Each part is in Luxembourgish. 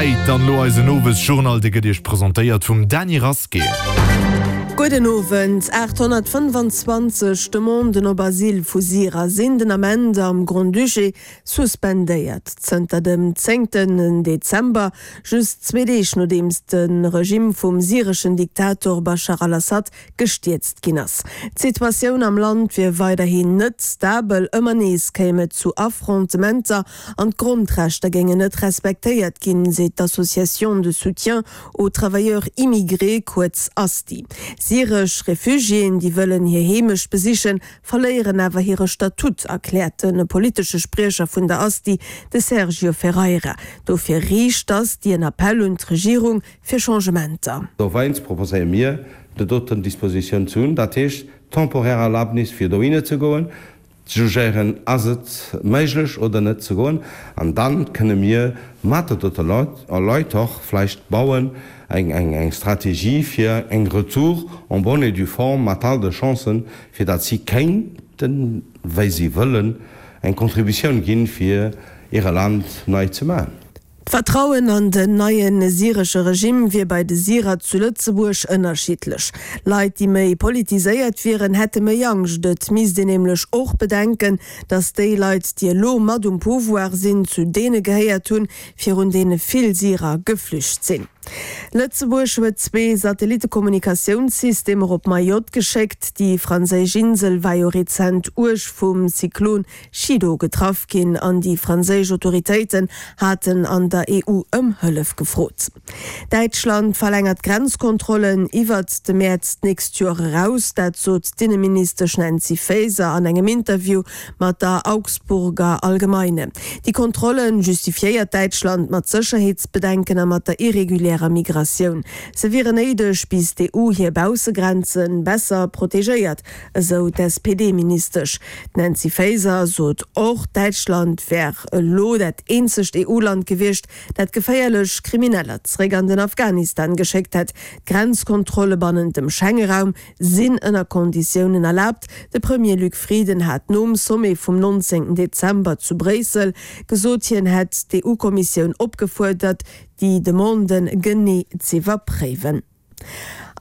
Zäit. Dann elo eisen Owesjournal, dee gëtt Iech presentéiert vum Dany Rasqué. Gudden Owend. 825 Demanden op Asyl vu Syrer sinn den Ament am Grand-Duché suspendéiert. Zënter dem zéngten Dezember, just zwee Deeg nodeems de Regimm vum syreschen Diktator Baschar al-Assad gestierzt ginn ass. D'Situatioun am Land wier weiderhin net stabel, ëmmer nees kéim et zu Affrontementer an d'Grondrechter géingen net respektéiert ginn, seet d'Association de soutien aux travailleurs immigrés, kuerz ASTI. Syresch Refugiéen, déi wëllen hir Heemecht besichen, verléieren awer hire Statut, erkläert de politesche Spriecher vun der ASTI, de Sergio Ferreira. Dofir riicht d'ASTI en Appell un d'Regierung, fir Changementer. Dowéinst proposéiere mir, déi doten Dispositioun ze hunn, dat heescht temporaire Erlaabnis fir dohinner ze goen, ze jugéieren, ass et méiglech oder net ze goen, an da kënne mir mat de dote Leit och vläicht bauen eng Strategie fir eng Retour en bonne et due forme mat all de Chancen, fir datt si kéinten, wéi si wëllen, eng Contributioun ginn, fir hire Land nei ze maachen. D'Vertrauen an den neie syresche Regimm wier bei de Syrer zu Lëtzebuerg ënnerschiddlech. Leit, déi méi politiséiert wieren, hätte méi Angscht. Et misst een nämlech och bedenken, datt déi Leit, déi elo mat um Pouvoir sinn, zu deene gehéiert hunn, virun deene vill Syrer geflücht sinn. Lëtzebuerg huet zwee Satellittekommunikatiounssystemer op Mayotte geschéckt. Déi franséisch Insel war jo rezent uerg vum Zyklon Chido getraff ginn an déi franséisch Autoritéiten haten an der EU ëm Hëllef gefrot. Däitschland verlängert d'Grenzkontrollen iwwert de Mäerz d'nächst Joer eraus. Dat sot d'Inneministesch Nancy Faeser an engem Interview mat der Augsburger Allgemeine. Déi Kontrolle justifiéiert Däitschland mat Sécherheetsbedenken a mat der irregulärer Migratioun. Se wieren néideg, bis d'EU hir Baussegrenze besser protegéiert. Esou d'SPD-Ministesch. D'Nancy Faeser sot och, Däitschland wär elo dat eenzegt EU-Land gewiescht, dat geféierlech Krimineller zeréck an den Afghanistan geschéckt hätt. D'Grenzkontrolle bannent dem Schengeraum sinn ënner Konditiounen erlaabt. De Premier Luc Frieden hat nom Sommet vum 19 Dezember zu Bréissel gesot, hien hätt d'EU-Kommissioun opgefuerdert, déi Demanden genee z'iwwerpréiwen.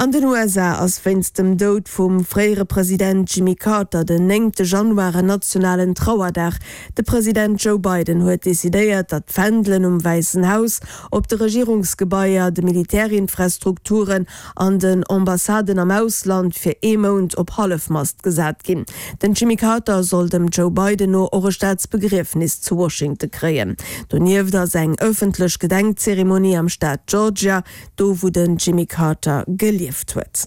An den USA ass wéinst dem Doud vum fréiere President Jimmy Carter den néngte Januar en nationalen Trauerdag. De President Joe Biden huet decidéiert, datt d'Fändelen um Wäissen Haus, op de Regierungsgebaier, de Militärinfrastrukturen an den Ambassaden am Ausland fir ee Mount op Hallefmast gesat ginn. Den Jimmy Carter soll dem Joe Biden no och e Staatsbegriefnis zu Washington kréien. Donieft ass eng ëffentlech Gedenkzeremonie am Staat Georgia do wou den Jimmy Carter gelieft huet.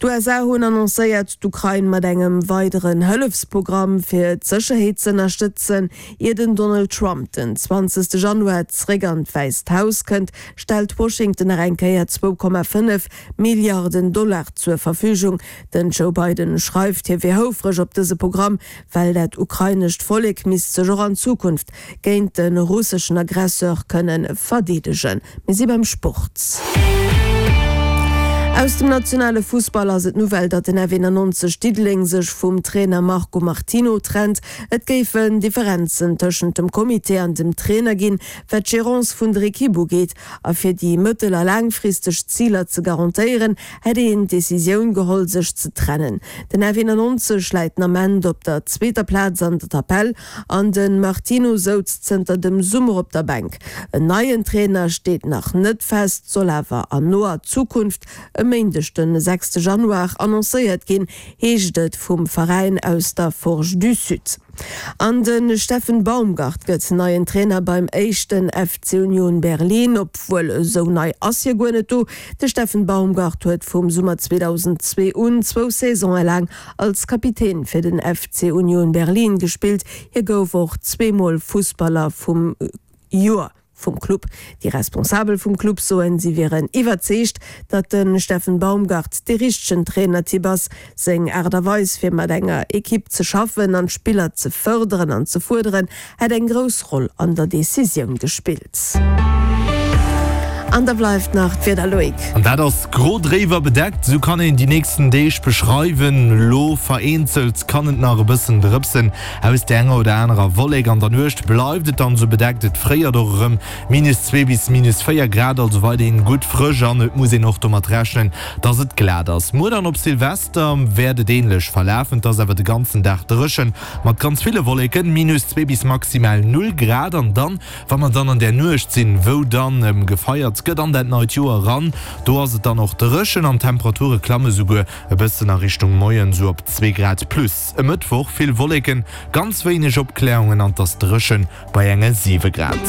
D'USA hunn annoncéiert, d'Ukrain mat engem weideren Hëllefsprogramm fir d'Sécherheet z'ënnerstëtzen. Ier den Donald Trump den 20 Januar zeréck an d'Wäisst Haus kënnt, stellt Washington nach eng Kéier 2,5 Milliarden Dollar zur Verfügung. Den Joe Biden schreift, hie wier houfreg op dëse Programm, well dat ukrainescht Vollek misst sech och an Zukunft géint de russeschen Aggresseur kënne verdeedegen. Mir si beim Sport. Aus dem nationale Fussball ass et d'Nouvelle, datt den F91 Diddeleng sech vum Trainer Marco Martino trennt. Et géifen Differenzen tëschent dem Comité an dem Trainer ginn, wat d'Gérance vun der Ekipp ugeet. A fir déi mëttel a laangfristeg Ziler ze garantéieren, hätt een d'Decisioun geholl, sech ze trennen. Den F91 läit den Ament op der zweeter Plaz an der Tabell An de Martino souz zënter dem Summer op der Bänk. En neien Trainer steet nach net fest, soll awer an noer Zukunft, e Méindeg den 6 Januar, annoncéiert ginn, heescht et vum Veräin aus der Forge du Sud. An de Steffen Baumgart gëtt neien Trainer beim éischten FC Union Berlin, obwuel esou nei ass hie guer net do. De Steffen Baumgart huet vum Summer 2002 un zwou Saisone laang als Kapitän fir den FC Union Berlin gespillt. Hie gouf och zweemol Fussballer vum Joer vum Club. Déi Responsabel vum Club soen, si wieren iwwerzeegt, datt de Steffen Baumgart dee richtegen Trainertyp ass. Seng Aart a Weis fir mat enger Ekipp ze schaffen an d'Spiller ze fërderen an ze fuerderen, hätt eng grouss Roll an der Decisioun gespillt. An da bleift nach d'Wieder, Loïc. An dat ass gro dréiwer bedeckt, esou kann een déi nächsten Deeg beschreiwen. Elo vereenzelt kann et nach e bëssen drëpsen aus där enger oder anerer Wollek. An der Nuecht bleift et dann esou bedeckt, et fréiert och erëm, minus 2 bis minus 4 Grad, also weiderhin gutt frësch an et muss een och domat rechnen, dass et glat ass. Muer dann op Silvester wäert et änlech verlafen, et ass awer de ganzen Dag dréchen mat ganz ville Wolleken, minus 2 bis maximal 0 Grad. An dann, wa mer dann an där Nuecht sinn, wou dann gefeiert gëtt an dat neit Joer eran, do ass et dann och dréchen an d'Temperature klamme souguer e bëssen a Richtung Moien, sou op 2 Grad plus. E Mëttwoch vill Wolleken, ganz wéineg Opklärungen an 't ass dréchen bei enge 7 Grad.